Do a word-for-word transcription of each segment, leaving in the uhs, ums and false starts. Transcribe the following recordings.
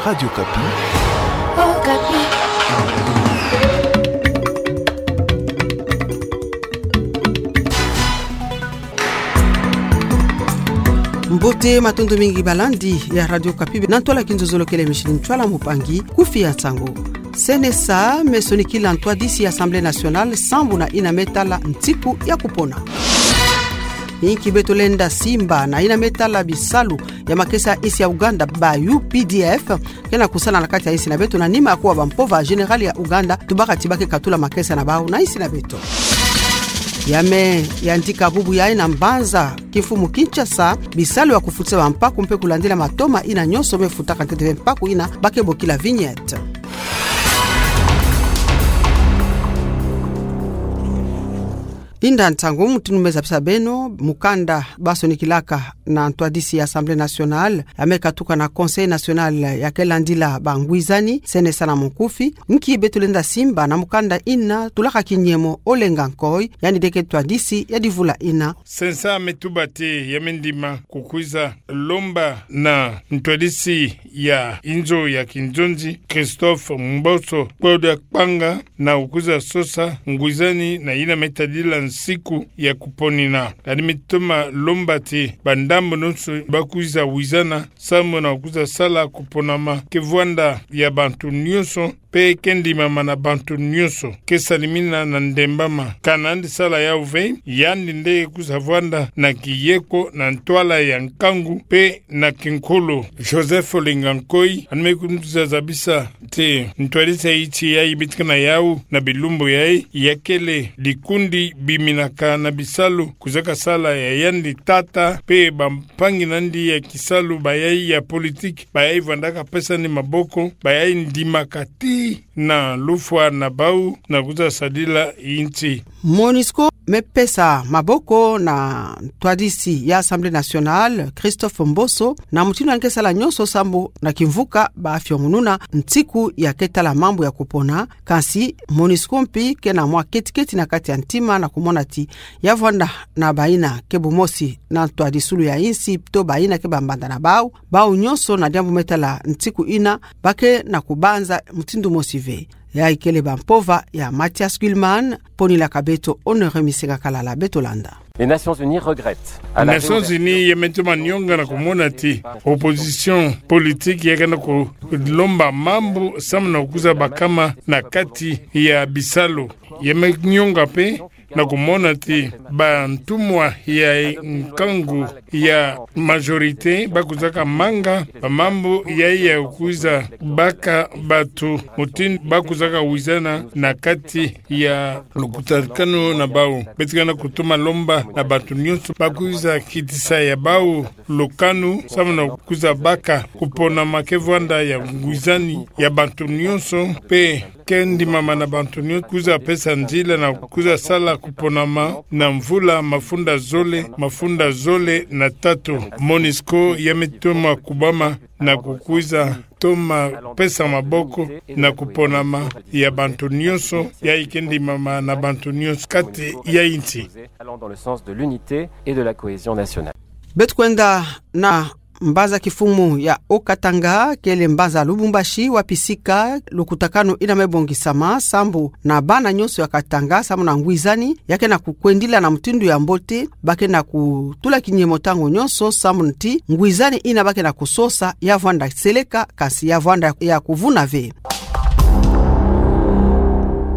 Radio Okapi. Okapi. Mbote, matondo mingi balandi ya Radio Okapi na ntwala kinzozolo kele mishini ntwala mupangi kufi ya nsangu. CNSA me sonikila ntwadisi ya Assemblée nationale sambu na yina me tala nsiku ya kupona. Inki beto lenda simba na yina me tala bisalu ya makesa ya insi ya Ouganda ba U P D F ke na kusala na kati ya insi na beto na nima ya kuwa bampova général ya Ouganda tubaka ti ba ke katula makesa na bau na insi na beto. Ya me yandika bubu yayi na mbanza kimfumu Kinshasa, bisalu ya kufutisa bampaku mpe kulandila matoma yina nyonso me futaka ntete ve mpaku yina ba ke bokila vignette. Inda nsangu mutindu me zabisa beno, mukanda ba sonikilaka na ntwadisi ya Assemblée nationale, ya me katuka na Conseil national ya ke landila bangwizani, CNSA na mukufi. Inki beto lenda simba na mukanda yina, tulaka kinyemo Olenga Nkoy, yandi de ke ntwadisi ya divula yina. CNSA me tuba ti ya me ndima kukwiza lomba na ntwadisi ya inzo ya kinzonzi, Christophe Mboso, Claude Kpanga, na kukwiza sosa ngwizani na yina me tadila nsiku ya kuponina. Yandi me toma lomba ti bandambu nyonso ba kwiza wizana sambu na kukwiza sala kuponama ke vwanda ya bantu nyonso, mpe ke ndimama na bantu nyonso, ke salimina na ndembama. Ka nandi sala yau ve, yandi nde kwiza vwanda na kiyeko, na ntwala ya nkangu mpe na kinkulu. Joseph Olenga Nkoy, yandi me kwiza zabisa ti ntwadisi ya insi yayi betikana yau na bilumbu yayi, ya kele dikundi biminaka na bisalu, kwizaka sala ya yandi tata mpe bampangi na yandi ya kisalu, bayayi ya politiki, bayayi vwandaka pesa ni maboko, bayayi ndimaka ti na lufwa na bau na kwiza sadila insi. MONUSCO me pesa maboko na ntwadisi ya Assemblée nationale, Christophe Mboso, na mutindu yandi ke sala nyonso sambu na kimvuka ba fiongununa nsiku ya ke tala mambu ya kupona. Kansi MONUSCO mpi ke na mwa keti-keti na kati ya ntima na kumona ti ya vwanda na bayina ke bumosi na ntwadisulu ya insi, pito bayina ke bambanda na bau, bau nyonso na diambu me tala nsiku yina, ba ke na kubanza mutindu mosi ve. Yayi kele bampova ya Mathias Kuhlmann, ponilaka beto Honoré Misenga Kalala. Beto landa. Les Nations Unies regrettent. Nations Unies ya me toma nionga na kumona ti opposition politique ya ke na kulomba mambu samu na kukwiza bakama na kati ya bisalu. Ya me nionga mpe na kumona ti bantumwa ya nkangu ya majorité ba kwizaka manga bamambu yayi ya kwiza baka bantu mutindu ba kwizaka wizana na kati ya lukutakanu na bau. Beto ke na kutoma lomba na bantu nyonso ba kwiza kitisa ya bau lukanu samu na kwiza baka kuponama ke vwanda ya ngwizani ya bantu nyonso, mpe ke ndimama na bantu nyonso, kwiza pesa nzila na kwiza sala kuponama na mvula mafunda zole, mafunda zole na tatu. MONUSCO ya me toma kubama na kukwiza toma pesa maboko na kuponama ya bantu nyonso, yayi ke ndimama na bantu nyonso kati ya insi. Allant dans le sens de l'unité et de la cohésion nationale. Beto kwenda na mbanza kifumu ya Haut-Katanga, kele mbanza Lubumbashi, wapi sika lukutakanu ina me bongisama sambu na bana nyonso ya Katanga, sambu na ngwizani ya ke na kukwendila na mutindu ya mbote, ba ke na kutula kinyemo ntangu nyonso, sambu nti ngwizani ina ba ke na kusosa ya vwanda seleka, kansi ya vwanda ya kuvuna ve.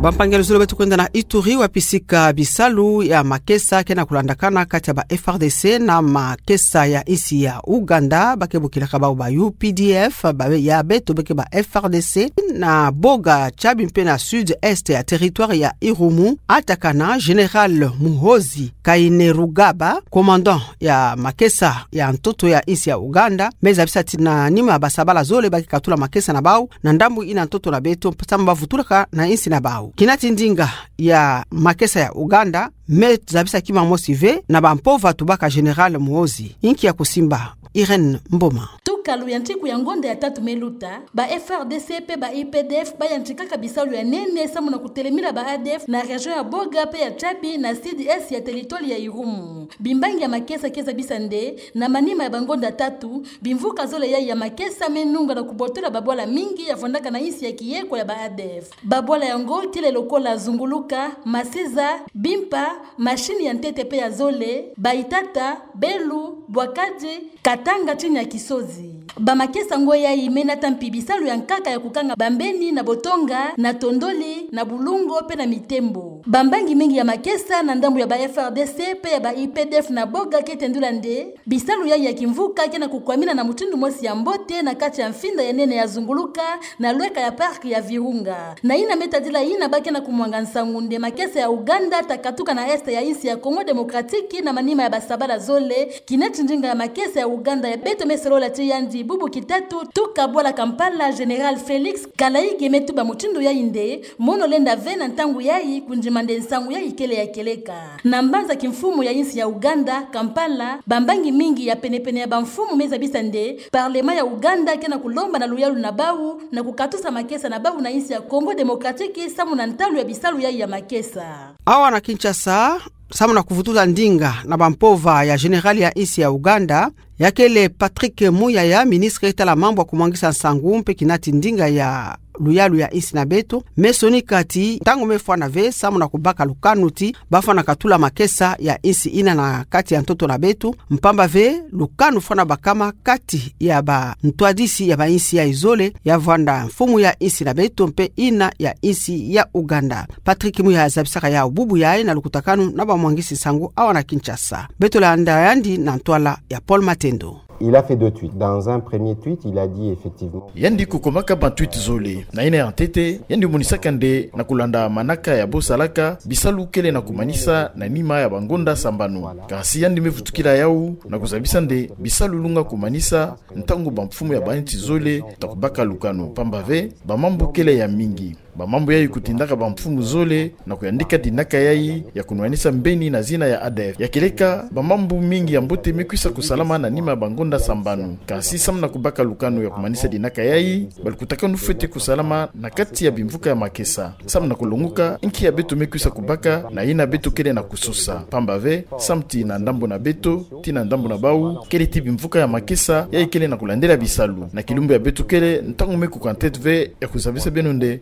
Bampangi ya luzolo, beto kwenda na Ituri, wapi sika bisalu ya makesa ke na kulandakana kati ya ba F R D C na makesa ya insi ya Ouganda, ba ke bokilaka bau ba U P D F, ba ya beto ba ke ba F R D C, na Boga, Tchabi mpe na sud-est ya territoire ya Irumu, atakana Général Muhoozi Kainerugaba, commandant ya makesa ya ntoto ya insi ya Ouganda, me zabisa ti na nima basabala zole ba ke katula makesa na bau na ndambu ina ntoto na beto, sambu ba vutulaka na insi na bau. kinati ndinga ya makesa ya Uganda, me zabisa kima mosi ve na bampova tubaka Général Muhoozi. Inki ya kusimba? Irène Mboma. Tukalu ya ntiku ya ngonda ya tatu me luta, ba F R D C pe ba U P D F bayantikaka bisalu ya nene samu na kutelemila ba A D F na région ya Boga pe ya Tchabi na sud-est ya territoire ya Irumu. Bimbangi ya makesa ke zabisa nde, na manima ya bangonda tatu, bimvuka zole yayi ya makesa me nunga na kubotola babwala mingi ya vwandaka na insi ya kieko ya ba A D F. Babwala yango kele lokola Zunguluka, Masiza, Bimpa, Mashini ya ntete pe ya zole, Baitata, Belu, Bwakadi, Katanga tini ya Kisozi. Bamakesa ngoi yayi me nata mpi bisalu ya nkaka ya kukanga bambeni na Botonga, na Tondoli, na Bulungo pe na Mitembo. Bambangi mingi ya makesa na ndambu ya ba F R D C pe ya ba U P D F na Boga ke tendula nde, bisalu yayi ya kimvuka ke na kukwamina na mutindu mosi ya mbote na kati ya mfinda ya nene ya Zunguluka, na lweka ya parc ya Virunga. Na yina me tadila yina ba ke na kumwanga nsangu nde makesa ya Uganda ta katuka na est ya insi ya Congo Démocratique na manima ya basabala zole, kinati ndinga ya makesa ya Uganda ya beto me solola ti yandi bubu kitatu tuka bwala Kampala, Général Félix Kalaige me tuba mutindu yayi nde, mono lenda ve na ntangu yayi kundima nde nsangu yayi kele ya kieleka. Na mbanza kimfumu ya insi ya Uganda, Kampala, bambangi mingi ya penepene ya bamfumu me zabisa nde, parlement ya Uganda ke na kulomba na luyalu na bawu, na kukatusa makesa na bawu na insi ya Congo Démocratique samu na ntalu ya bisalu yayi ya makesa. Awa na Kinshasa, samu na kuvutuza ndinga na bampova ya général ya insi ya Uganda, ya kele Patrick Muyaya, ministre tala mambu ya kumwangisa nsangu mpe kinati ndinga ya luyalu ya insi na beto, me sonika ti ntangu me fwana ve samu na kubaka lukanu ti ba fwana katula makesa ya insi ina na kati ya ntoto na beto, mpamba ve lukanu fwana bakama kati ya bantwadisi ya bainsi yayi zole, ya vwanda mfumu ya insi na beto mpe ina ya insi ya Uganda. Patrick Muyaya zabisaka yawu bubu yayi na lukutakanu na bamwangisi nsangu awa na Kinshasa. Beto landa yandi na ntwala ya Paul Matendo. Il a fait deux tweets. Dans un premier tweet, il a dit effectivement. Yandi kukomaka batweet zole. Na yina ya ntete, yandi monisaka nde na kulanda manaka ya bosalaka, bisalu kele na kumanisa na nima ya bangonda sambanu. Kasi yandi me vutukila yawu, na kuzabisa nde bisalu lunga kumanisa, ntangu bamfumu ya bainsi zole ta kubaka lukanu. Mpamba ve, bamambu kele ya mingi. Bamambu yayi kutindaka bamfumu zole na kuyandika dinaka yayi ya kunwanisa mbeni na zina ya A D F. Ya kieleka, bamambu mingi ya mbote me kwisa kusalama na nima ya bangonda sambanu. Kasi samu na kubaka lukanu ya kumanisa dinaka yayi, balukutakanu fwete kusalama na kati ya bimvuka ya makesa. Samu na kulonguka, nki ya beto me kwisa kubaka, na yina beto kele na kusosa. Mpamba ve, samu ti na ndambu na beto, ti na ndambu na bawu, kele ti bimvuka ya makesa, yayi kele na kulandela bisalu. Na kilumbu ya beto kele, ntangu me kuka ntete ve, ya kuzabisa beno nde,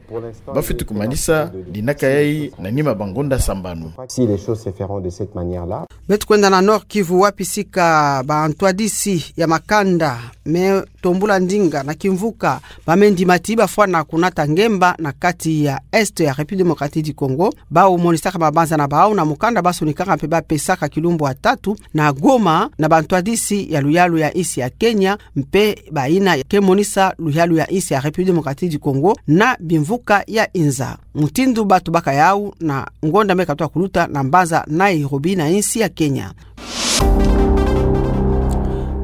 ba fwete kumanisa dinaka yayi na nima bangonda sambanu. Si les choses se feront de cette manière-là. Beto kwenda na Nord-Kivu wapi sika bantwadisi ya makanda me tombula ndinga na kimvuka, ba me ndima ti ba fwana kunata ngemba na kati ya Est ya République Démocratique du Congo, bawu monisaka mabanza na bawu na mukanda ba sonikaka mpe ba pesaka kilumbu ya tatu na Goma na bantwadisi ya luyalu ya insi ya Kenya, mpe bayina ke monisa luyalu ya insi ya République Démocratique du Congo na bimvuka ya inza. Mutindu ba tubaka yawu na ngonda me katuka kuluta na mbanza Nairobi na insi ya Kenya.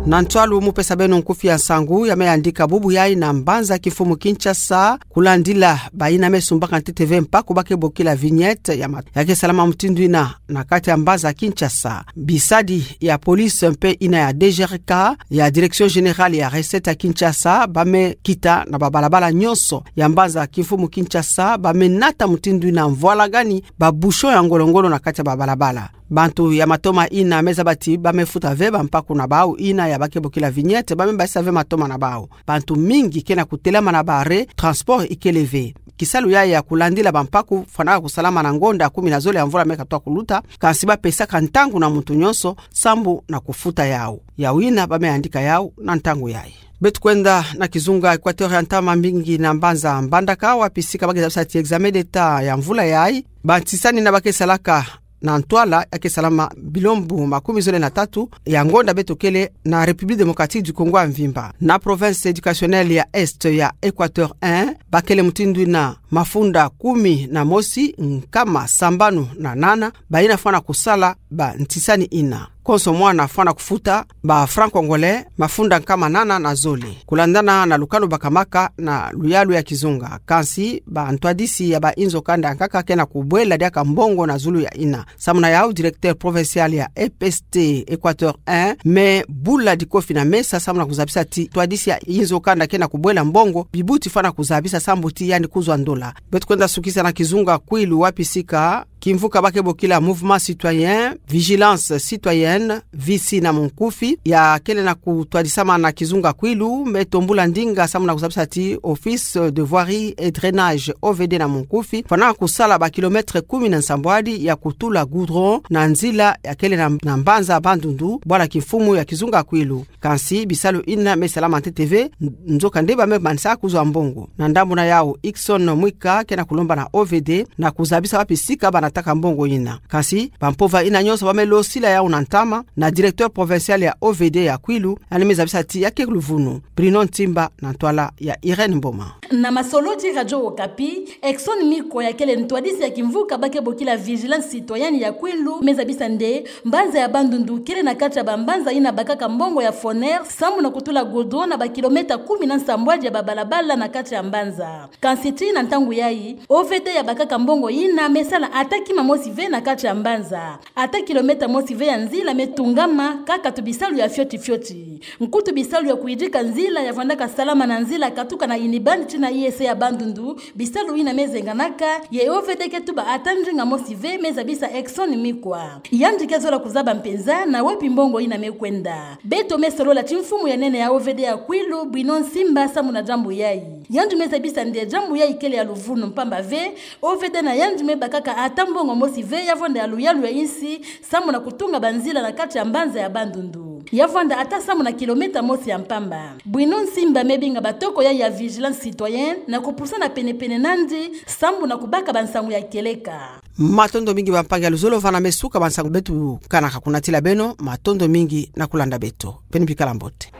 Na ntwalu mu pesa beno nkufi ya nsangu ya me yandika bubu yayi na mbanza kimfumu Kinshasa, kulandila bayina me sumbaka ntete ve mpaku ba ke bokila vignette ya mat-, ya ke salama mutindu yina na kati ya mbanza Kinshasa. Bisadi ya police mpe yina ya D G R K, ya Direction Générale ya Recette ya Kinshasa, ba me kita na babalabala nyonso ya mbanza kimfumu Kinshasa, ba me nata mutindu yina mvwalagani ba bouchon ya ngolo-ngolo na kati ya babalabala. Bantu ya matoma yina me zaba ti ba me futa ve bampaku na bawu yina ya ba ke bokila vignette, ba me basisa ve matoma na bawu. Bantu mingi ke na kutelama na ba arrêt, transport ikele ve. Kisalu yayi ya kulandila bampaku fwanaka kusalama na ngonda kumi na zole ya mvula me katuka kuluta, kansi ba pesaka ntangu na muntu nyonso sambu na kufuta yawu. Yawu yina ba me yandika yawu na ntangu yayi. Beto kwenda na kizunga Équateur ya ntama mingi na mbanza Mbandaka, wapi sika ba ke zabisa ti examen d'État ya mvula yayi, bantisani yina ba ke salaka na ntwala ya ke salama bilombo makumi zole na tatu ya ngonda beto kele na République Démocratique du Congo ya mvimba. Na province éducationnelle ya Est ya Équateur un, ba kele mutindu yina mafunda kumi na mosi, nkama sambanu na nana, bayina fwana kusala bantisani yina. konso mwana fwana kufuta ba francs congolais mafunda nkama nana na zole, kulandana na lukanu bakamaka na luyalu ya kizunga. Kansi bantwadisi ya bainzo kanda ya nkaka ke na kubwela diaka mbongo na zulu ya ina. Samu na yau, directeur provincial ya E P S T Équateur un, Me Bula Dikofi na mesa samu na kuzabisa ti twadisi ya inzo kanda ke na kubwela mbongo, bibuti fwana kuzabisa sambu ti yandi kuzwa ndola. Beto kwenda sukisa na kizunga Kwilu, wapi sika kimvuka ba ke bokila Mouvement Citoyen, Vigilance Citoyenne, V C na munkufi, ya kele na kutwadisamana na kizunga Kwilu, me tombula ndinga samu na kuzabisa ti Office de Voirie et Drainage, O V D na munkufi, fwana kusala ba kilomètre kumi na nsambwadi ya kutula goudron na nzila ya kele na, na mbanza Bandundu, bwala kimfumu ya kizunga Kwilu. Kansi bisalu ina me salama ntete ve, nzoka nde ba me manisa kuzwa mbongo. Na ndambu na yau, Ikson Mwika ke na kulomba na O V D na kuzabisa wapi sika ba nataka mbongo ina. Kansi bampova ina nyonso ba me losila yau na ntama na directeur provincial ya O V D ya Kwilu, yandi me zabisa ti ya ke luvunu. Bruno Ntimba na ntwala ya Irène Mboma. Na masolo ti Radio Okapi, Ikson Mwika ya kele ntwadisi ya kimvuka ba ke bokila Vigilance Citoyenne ya Kwilu me zabisa nde mbanza ya Bandundu kele na kati ya bambanza ina bakaka mbongo ya FONER samu na kutula goudron na ba kilomètre kumi na nsambwadi ya babalabala na kati ya mbanza. Kansi tii na ntangu yai, O V D ya bakaka mbongo ina me sala ata kima mosi ve na kati ya mbanza. Ata kilomètre mosi ve ya nzila me tungama kaka tu bisalu ya fioti fioti. Nkutu bisalu ya kuyidika nzila ya vwandaka salama na nzila katuka na inibani tii na I S C ya Bandundu, bisalu ina me zenganaka, ye O V D ke tuba ata ndinga mosi ve, me zabisa Ikson Mwika. Yandi ke zola kuzaba mpenza na wapi mbongo ina me kwenda. Beto me solola ti mfumu ya nene ya O V D ya Kwilu, Bruno Ntimba, samu na diambu yai. Yandi me zabisa nde diambu yai kele ya luvunu mpamba ve, O V D na yandi me bakaka ata mbongo mosi ve ya vwanda ya luyalu ya insi, samu na kutunga banzila na kati ya mbanza ya Bandundu. Ya vwanda ata samu na kilomètre mosi ya mpamba. Bruno Ntimba me binga batoko yai ya Vigilance Citoyenne na kupusana penepene nandi, samu na kubaka bansangu ya kieleka. Matondo mingi bampangi ya luzolo, vana me suka bansangu beto kanaka kuna tila beno, matondo mingi na kulanda beto. Beno bikala mbote.